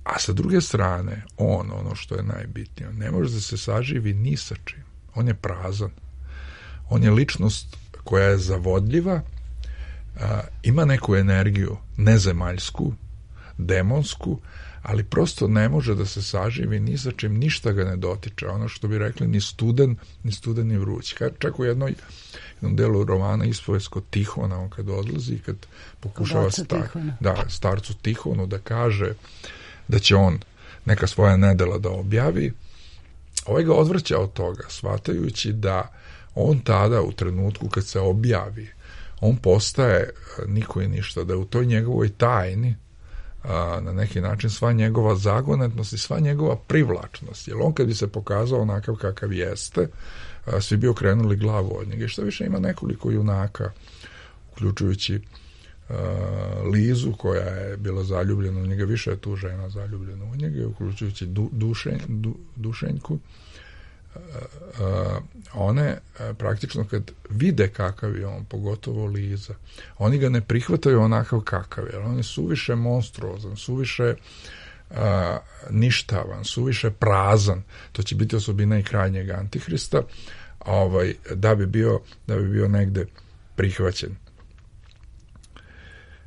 a sa druge strane, on, ono što je najbitnije, ne može da se saživi ni sa čim. On je prazan. On je ličnost koja je zavodljiva, a, ima neku energiju nezemaljsku, demonsku, ali prosto ne može da se saživi ni sa čim, ništa ga ne dotiče. Ono što bi rekli, ni studen, ni studen ni vruć. Čak u jednoj, jednom delu romana Ispovest kod Tihona, on kad odlazi, kad pokušava star, da, starcu Tihonu da kaže da će on neka svoja nedela da objavi, ovaj ga odvrća od toga, shvatajući da on tada, u trenutku kad se objavi, on postaje niko i ništa, da je u toj njegovoj tajni a, na neki način sva njegova zagonetnost i sva njegova privlačnost. Jer on kad bi se pokazao onakav kakav jeste, a, svi bi okrenuli glavu od njega. I što više, ima nekoliko junaka, uključujući a, Lizu, koja je bila zaljubljena u njega, više je tu žena zaljubljena u njega, uključujući du, dušenj, du, Dušenjku. Uh, one uh, praktično kad vide kakav je on, pogotovo Liza, oni ga ne prihvataju onakav kakav je, on je suviše monstruozan, suviše uh, ništavan, suviše prazan. To će biti osobina i krajnjeg Antihrista, ovaj, da bi bio da bi bio negde prihvaćen.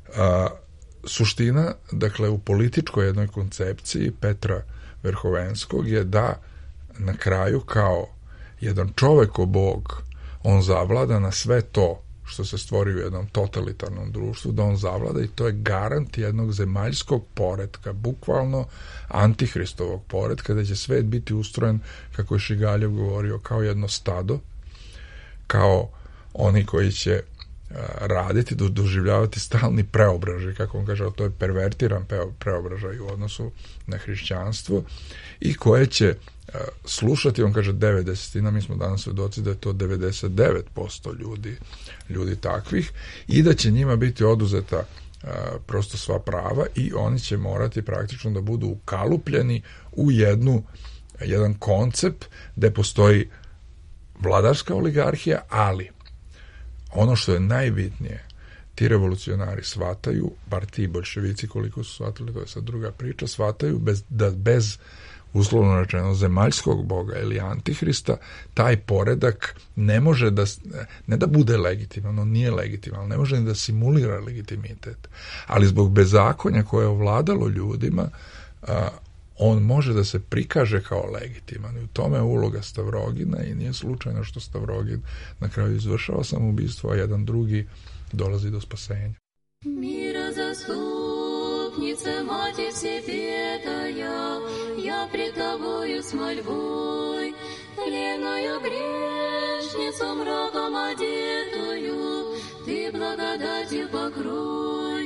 Uh, suština, dakle, u političkoj jednoj koncepciji Petra Verhovenskog je da na kraju kao jedan čoveko bog on zavlada na sve to što se stvori u jednom totalitarnom društvu, da on zavlada, i to je garant jednog zemaljskog poretka, bukvalno antihristovog poretka, da će svet biti ustrojen, kako je Šigaljev govorio, kao jedno stado, kao oni koji će raditi, doživljavati stalni preobražaj, kako on kaže, to je pervertiran preobražaj u odnosu na hrišćanstvo, i koje će slušati, on kaže devedesetina, mi smo danas svedoci da je to devedeset devet posto ljudi, ljudi takvih, i da će njima biti oduzeta a, prosto sva prava i oni će morati praktično da budu ukalupljeni u jednu, jedan koncept gde postoji vladarska oligarhija, ali ono što je najbitnije, ti revolucionari shvataju, bar ti bolševici koliko su shvatili, to je sad druga priča, shvataju bez, da bez uslovno rečeno zemaljskog boga ili antihrista taj poredak ne može da, ne da bude legitiman, on nije legitiman, ne može ni da simulira legitimitet, ali zbog bezakonja koje je ovladalo ljudima, a, on može da se prikaže kao legitiman, i u tome je uloga Stavrogina, i nije slučajno što Stavrogin na kraju izvršava samoubistvo, a jedan drugi dolazi do spasenja. Мира заступница, Матерь Всепетая, я пред Тобою с мольбой, тленную грешницу мраком одетую, Ты благодатью покрой,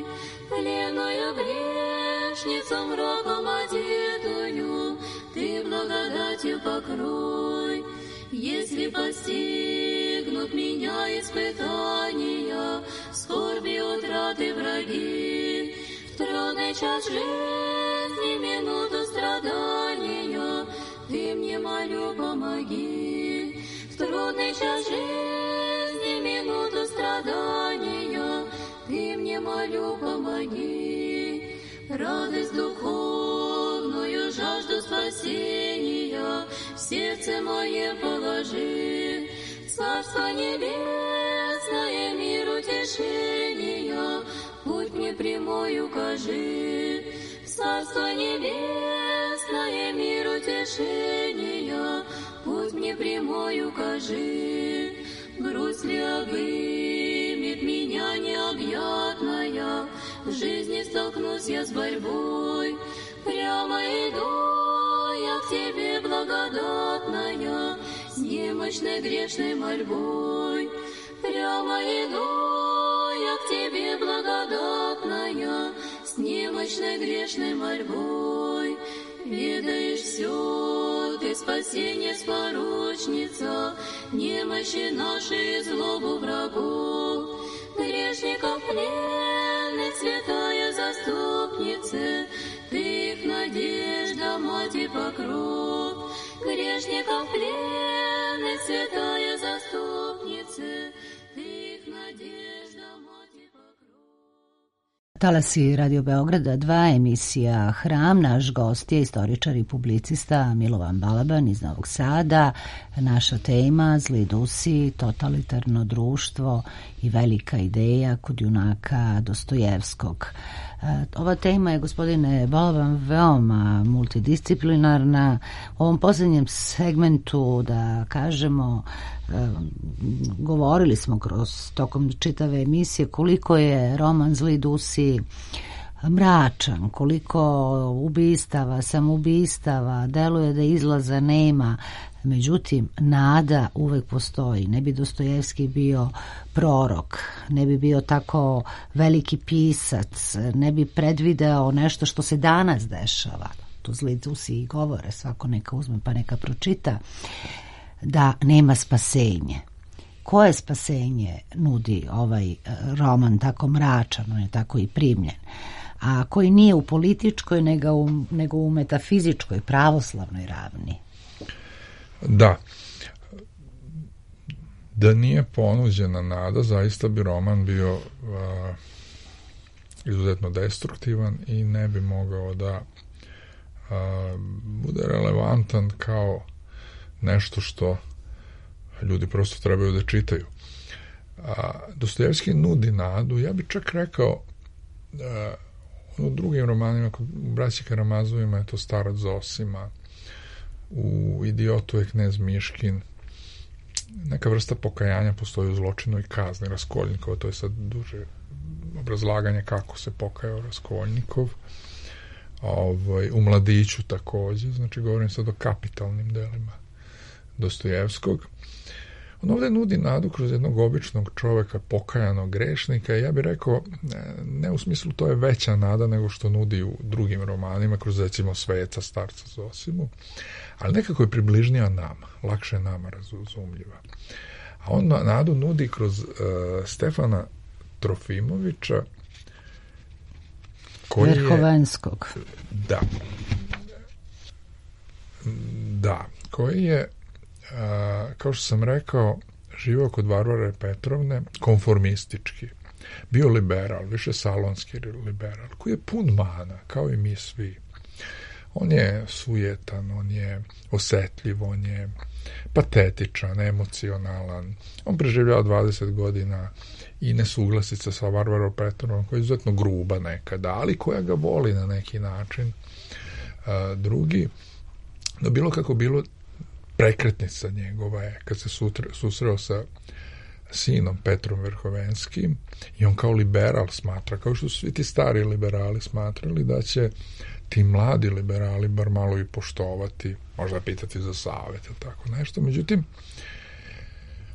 тленную грешницу мраком одетую, Ты благодатью благодатью покрой. Если постигнут меня испытания, скорби, утраты, враги, в трудный час жизни, минуту страдания, ты мне, молю, помоги. В трудный час жизни, минуту страдания, ты мне, молю, помоги. Радость духовную, жажду спасения в сердце мое положи. Царство небесное, мир утешения, путь мне прямой укажи. Царство небесное, мир утешения, путь мне прямой укажи. Грусть ли обымет меня необъятная, в жизни столкнусь я с борьбой. Прямо иду я к тебе, благодатная, с немощной грешной мольбой. Прямо иду я к тебе, благодатная, с немощной грешной мольбой. Ведаешь все, ты спасение спорочница, немощи наши и злобу врагов. Грешников пленных, святая заступница, ты их надежда, мать и покров. Грешников пленных, святая заступница, ты их надежда, мать и покрov. Talasi Radio Beograda dva, emisija Hram. Naš gost je istoričar i publicista Milovan Balaban iz Novog Sada. Naša tema Zli dusi, totalitarno društvo i velika ideja kod junaka Dostojevskog. Ova tema je, gospodine Balaban, veoma multidisciplinarna. U ovom posljednjem segmentu, da kažemo, govorili smo kroz tokom čitave emisije koliko je roman Zli dusi mračan, koliko ubistava, samoubistava, deluje da izlaza nema. Međutim, nada uvek postoji. Ne bi Dostojevski bio prorok, ne bi bio tako veliki pisac, ne bi predvideo nešto što se danas dešava. Tu Zli dusi i govore, svako neka uzme pa neka pročita, da nema spasenje. Koje spasenje nudi ovaj roman tako mračan, on je tako i primljen, a koji nije u političkoj nego u, nego u metafizičkoj, pravoslavnoj ravni? Da. Da nije ponuđena nada, zaista bi roman bio a, izuzetno destruktivan i ne bi mogao da a, bude relevantan kao nešto što ljudi prosto trebaju da čitaju. A, Dostojevski nudi nadu, ja bih čak rekao a, u drugim romanima, u Braći Karamazovima je to Starac Zosima, u Idiotu je knez Miškin, neka vrsta pokajanja postoji u Zločinu i kazni Raskolnikova, to je sad duže obrazlaganje kako se pokajao Raskolnikov. Ovaj, u Mladiću takođe, znači govorim sad o kapitalnim delima Dostojevskog. On ovde nudi nadu kroz jednog običnog čoveka, pokajanog grešnika, i ja bih rekao, ne u smislu to je veća nada nego što nudi u drugim romanima, kroz recimo Sveca, Starca Zosimu, ali nekako je približnija nama, lakše nama razumljiva. A on nadu nudi kroz uh, Stefana Trofimovića, koji Verhovenskog. Je, da. Da, koji je, a, kao što sam rekao, živao kod Varvare Petrovne, konformistički. Bio liberal, više salonski liberal, koji je pun mana, kao i mi svi. On je sujetan, on je osetljiv, on je patetičan, emocionalan. On preživljava dvadeset godina i nesuglasica sa Varvarom Petrovnom, koja je izuzetno gruba nekada, ali koja ga voli na neki način. A, drugi, no bilo kako bilo, prekretnica njegova je, kad se sutre, susreo sa sinom Petrom Verhovenskim, i on kao liberal smatra, kao što su svi ti stari liberali smatrali, da će ti mladi liberali bar malo i poštovati, možda pitati za savjet ili tako nešto. Međutim,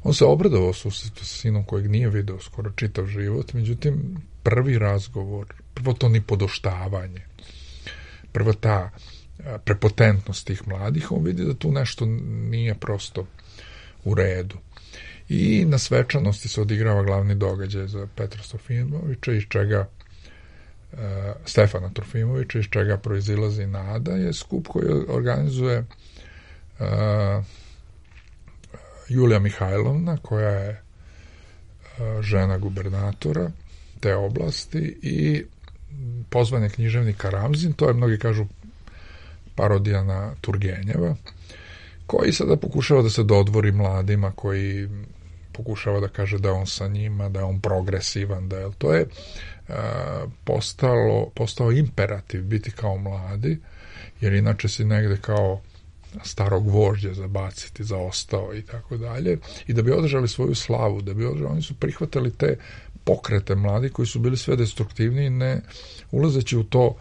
on se obradovao sa sinom kojeg nije video skoro čitav život, međutim, prvi razgovor, prvo to ni podoštavanje, prvo ta prepotentnost tih mladih, on vidi da tu nešto nije prosto u redu. I na svečanosti se odigrava glavni događaj za Petra Trofimovića, iz čega uh, Stefana Trofimovića, iz čega proizilazi nada, je skup koji organizuje uh, Julija Mihajlovna, koja je uh, žena gubernatora te oblasti, i pozvan je književnik Karamzin, to je, mnogi kažu, parodija na Turgenjeva, koji sada pokušava da se dodvori mladima, koji pokušava da kaže da je on sa njima, da je on progresivan, da je, to je uh, postalo, postao imperativ biti kao mladi, jer inače si negde kao starog vožđa zabaciti, zaostao i tako dalje, i da bi održali svoju slavu, da bi održali, oni su prihvatali te pokrete mladi koji su bili sve destruktivni, ne ulazeći u to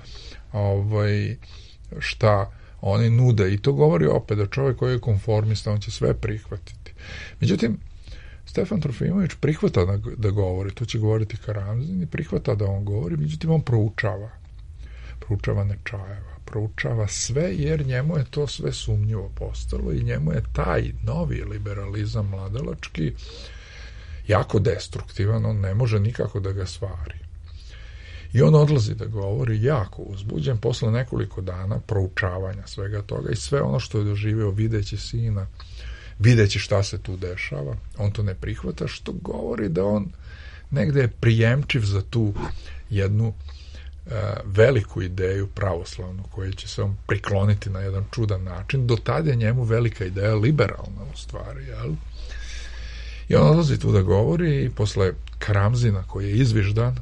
ovaj, šta oni nude, i to govori opet da čovjek koji je konformista, on će sve prihvatiti. Međutim, Stefan Trofimović prihvata da, da govori, to će govoriti Karamzin, i prihvata da on govori, međutim on proučava. Proučava Nečajeva, proučava sve, jer njemu je to sve sumnjivo postalo i njemu je taj novi liberalizam mladalački jako destruktivan, on ne može nikako da ga stvari. I on odlazi da govori jako uzbuđen posle nekoliko dana proučavanja svega toga i sve ono što je doživeo videći sina, videći šta se tu dešava, on to ne prihvata, što govori da on negde je prijemčiv za tu jednu uh, veliku ideju pravoslavnu, koju će se on prikloniti na jedan čudan način. Do tada je njemu velika ideja liberalna u stvari, jel? I on odlazi tu da govori i posle Karamzina, koji je izviždan,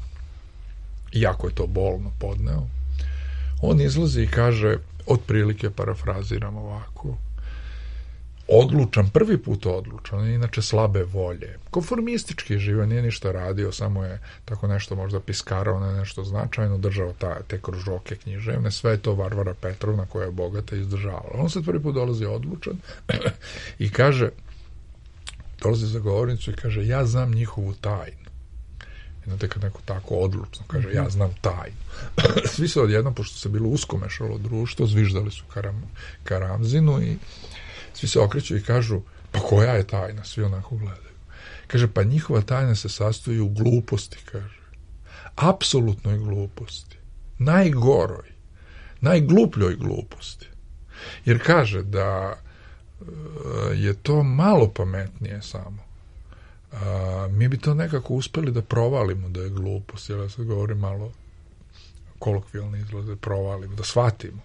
iako je to bolno podneo, on izlazi i kaže, otprilike parafraziram ovako, odlučan, prvi put odlučan, inače slabe volje, konformistički živa, nije ništa radio, samo je tako nešto možda piskarao na nešto značajno, držao ta, te kružoke književne, sve je to Varvara Petrovna koja je bogata izdržavala. On se prvi put dolazi odlučan i kaže, dolazi za govornicu i kaže, ja znam njihovu tajnu. Znate, kad neko tako odlučno kaže, ja znam tajnu. Svi se odjednom, pošto se bilo uskomešalo društvo, zviždali su Karam, Karamzinu i svi se okreću i kažu, pa koja je tajna? Svi onako gledaju. Kaže, pa njihova tajna se sastoji u gluposti, kaže. Apsolutnoj gluposti. Najgoroj. Najglupljoj gluposti. Jer kaže da je to malo pametnije samo. A, mi bi to nekako uspeli da provalimo da je glupost, jer ja sad govorim malo kolokvijalni izgled, da provalimo, da shvatimo.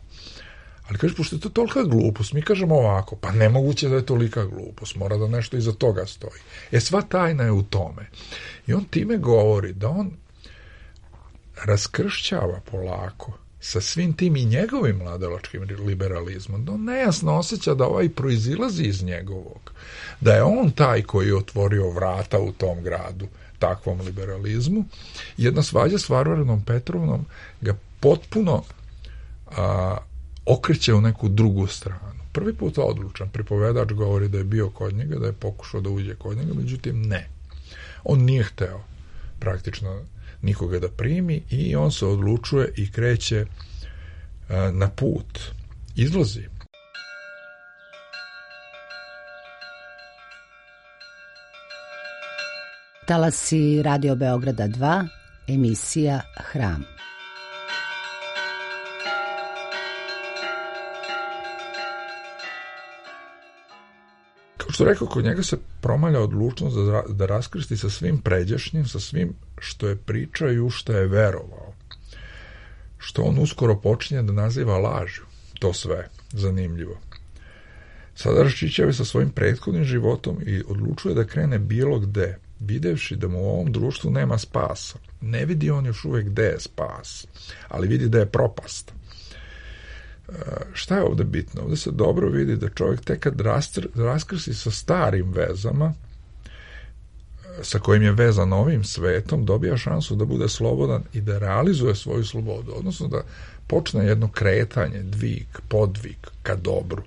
Ali kaže, pošto je to tolika glupost, mi kažemo ovako, pa nemoguće da je tolika glupost, mora da nešto iza toga stoji. E, sva tajna je u tome. I on time govori da on raskršćava polako sa svim tim i njegovim mladalačkim liberalizmom, da on nejasno osjeća da ovaj proizilazi iz njegovog, da je on taj koji je otvorio vrata u tom gradu takvom liberalizmu. Jedna svađa s Varvarom Petrovnom ga potpuno a, okreće u neku drugu stranu. Prvi put odlučan, pripovedač govori da je bio kod njega, da je pokušao da uđe kod njega, međutim ne. On nije hteo praktično nikoga da primi i on se odlučuje i kreće a, na put. Izlazi. Talasi Radio Beograda dva, emisija Hram. Kao što rekao, kod njega se promalja odlučnost da, da raskrsti sa svim pređašnjim, sa svim što je pričao i u što je verovao. Što on uskoro počinje da naziva lažju. To sve zanimljivo. Sada raščišćava sa svojim prethodnim životom i odlučuje da krene bilo gde, videvši da mu u ovom društvu nema spasa. Ne vidi on još uvek gde je spas, ali vidi da je propast. E, šta je ovde bitno? Ovde se dobro vidi da čovjek tek kad raskrsi sa starim vezama, sa kojim je vezan ovim svetom, dobija šansu da bude slobodan i da realizuje svoju slobodu, odnosno da počne jedno kretanje, dvig, podvig ka dobru.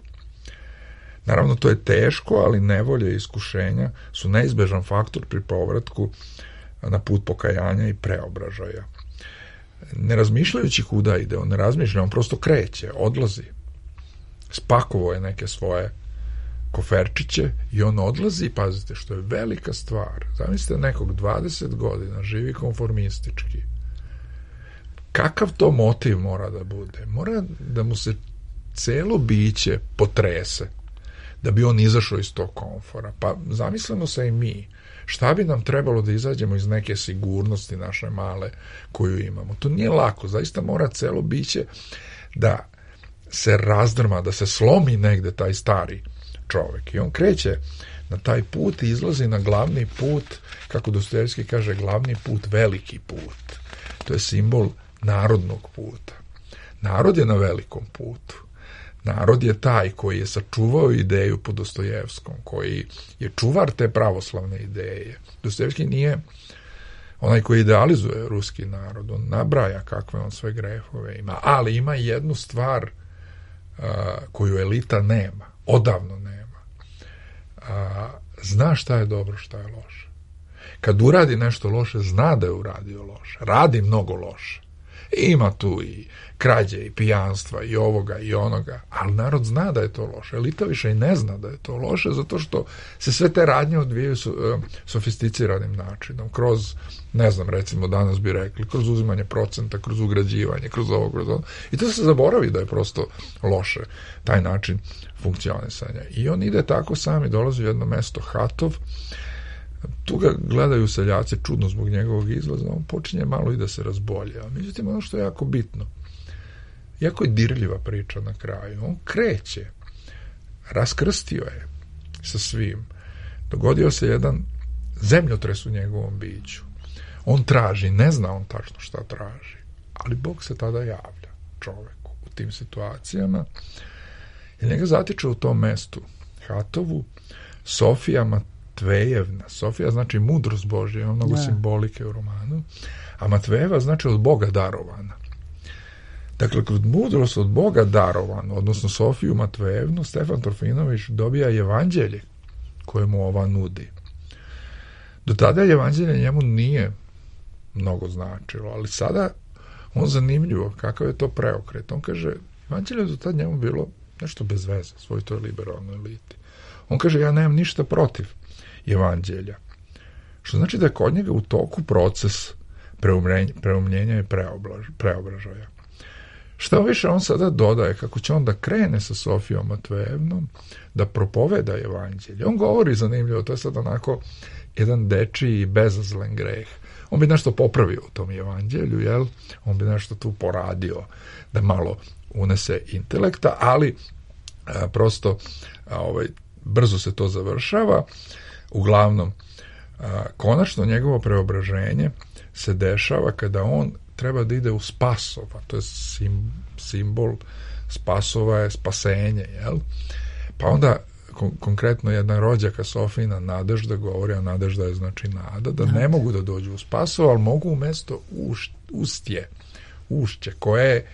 Naravno, to je teško, ali nevolje i iskušenja su neizbežan faktor pri povratku na put pokajanja i preobražaja. Ne razmišljajući kuda ide, on ne razmišlja, on prosto kreće, odlazi. spakovao je neke svoje koferčiće i on odlazi, pazite, što je velika stvar. Zamislite nekog dvadeset godina, živi konformistički. Kakav to motiv mora da bude? Mora da mu se celo biće potrese da bi on izašao iz tog komfora. Pa zamislimo se i mi. Šta bi nam trebalo da izađemo iz neke sigurnosti naše male koju imamo? To nije lako. Zaista mora celo biće da se razdrma, da se slomi negde taj stari čovek. I on kreće na taj put i izlazi na glavni put, kako Dostojevski kaže, glavni put, veliki put. To je simbol narodnog puta. Narod je na velikom putu. Narod je taj koji je sačuvao ideju po Dostojevskom, koji je čuvar te pravoslavne ideje. Dostojevski nije onaj koji idealizuje ruski narod, on nabraja kakve on sve grehove ima, ali ima jednu stvar uh, koju elita nema, odavno nema. Uh, zna šta je dobro, šta je loše. Kad uradi nešto loše, zna da je uradio loše, radi mnogo loše. Ima tu i krađe i pijanstva i ovoga i onoga, ali narod zna da je to loše. Elita više i ne zna da je to loše, zato što se sve te radnje odvijaju sofisticiranim načinom, kroz, ne znam, recimo danas bi rekli, kroz uzimanje procenta, kroz ugrađivanje, kroz ovo, kroz ovo. I to se zaboravi da je prosto loše taj način funkcionisanja. I on ide tako sam i dolazi u jedno mesto Hatov. Tu ga gledaju seljaci čudno zbog njegovog izlaza, on počinje malo i da se razbolja. Međutim, ono što je jako bitno, jako je dirljiva priča na kraju. On kreće, raskrstio je sa svim. Dogodio se jedan zemljotres u njegovom biću. On traži, ne zna on tačno šta traži, ali Bog se tada javlja čoveku u tim situacijama i njega zatiče u tom mestu Hatovu Sofija Matvejevna. Sofija znači mudrost Božja, ima mnogo simbolike u romanu, a Matvejeva znači od Boga darovana. Dakle, kroz mudrost od Boga darovanu, odnosno Sofiju Matvejevnu, Stefan Trofimović dobija evanđelje koje mu ova nudi. Do tada evanđelje njemu nije mnogo značilo, ali sada on zanimljivo, kakav je to preokret. On kaže, evanđelje do tada njemu bilo nešto bez veze, svoj toj liberalnoj eliti. On kaže, ja nemam ništa protiv evanđelja. Što znači da je kod njega u toku proces preumljenja i preobražaja. Šta više on sada dodaje, kako će on da krene sa Sofijom Matvejevnom, da propoveda evanđelje. On govori zanimljivo, to je sad onako jedan dečiji i bezazlen greh. On bi nešto popravio u tom evanđelju, jel? On bi nešto tu poradio da malo unese intelekta, ali a, prosto a, ovaj, brzo se to završava. Uglavnom, a, konačno njegovo preobraženje se dešava kada on treba da ide u Spasova, to je sim, simbol Spasova je spasenje, jel? Pa onda kon, konkretno jedna rođaka Sofina Nadežda govori, a Nadežda je znači nada, da ne mogu da dođu u Spasova, ali mogu u mesto Uš, Ustje, Ušće, koje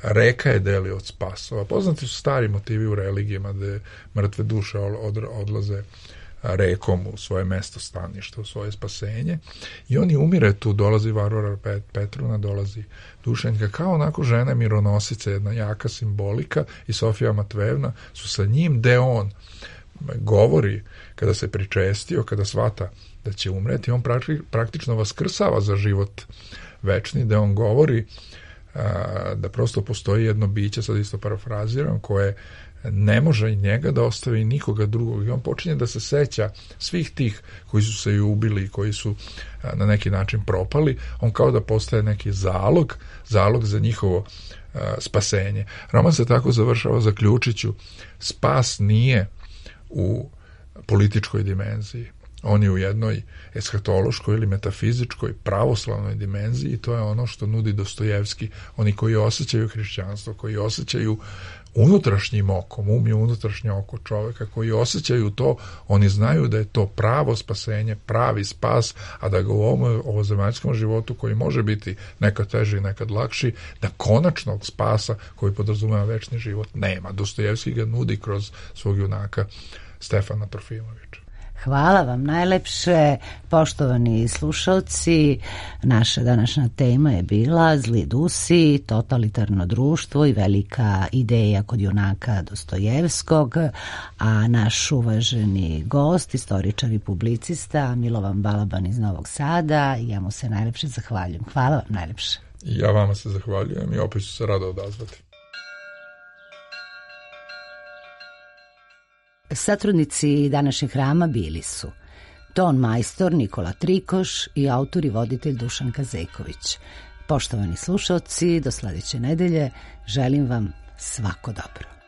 reka je deli od Spasova. Poznati su stari motivi u religijama gde mrtve duše od, odlaze rekom u svoje mesto stanište, u svoje spasenje. I oni umire tu, dolazi Varvara Petruna, dolazi Dušenjka, kao onako žena mironosica, jedna jaka simbolika, i Sofija Matvejevna su sa njim, gde on govori, kada se pričestio, kada shvata da će umreti, on praktično vaskrsava za život večni, gde on govori a, da prosto postoji jedno biće, sad isto parafraziram, koje ne može i njega da ostavi nikoga drugog, i on počinje da se seća svih tih koji su se i ubili, koji su a, na neki način propali. On kao da postaje neki zalog, zalog za njihovo a, spasenje. Roman se tako završava, zaključit ću, spas nije u političkoj dimenziji. On je u jednoj eshatološkoj ili metafizičkoj pravoslavnoj dimenziji, i to je ono što nudi Dostojevski. Oni koji osjećaju hrišćanstvo, koji osjećaju unutrašnjim okom, um je unutrašnje oko čoveka, koji osjećaju to, oni znaju da je to pravo spasenje, pravi spas, a da ga u ovom ovozemaljskom životu, koji može biti nekad teži i nekad lakši, da konačnog spasa koji podrazumeva večni život nema. Dostojevski ga nudi kroz svog junaka Stefana Trofimovića. Hvala vam najlepše, poštovani slušalci. Naša današnja tema je bila Zli Dusi, totalitarno društvo i velika ideja kod junaka Dostojevskog, a naš uvaženi gost, istoričar i publicista Milovan Balaban iz Novog Sada, ja mu se najlepše zahvaljujem. Hvala vam najlepše. Ja vama se zahvaljujem i opet ću se rado odazvati. Satrudnici današnjeg hrama bili su ton majstor Nikola Trikoš i autor i voditelj Dušan Kazeković. Poštovani slušalci, do sledeće nedelje želim vam svako dobro.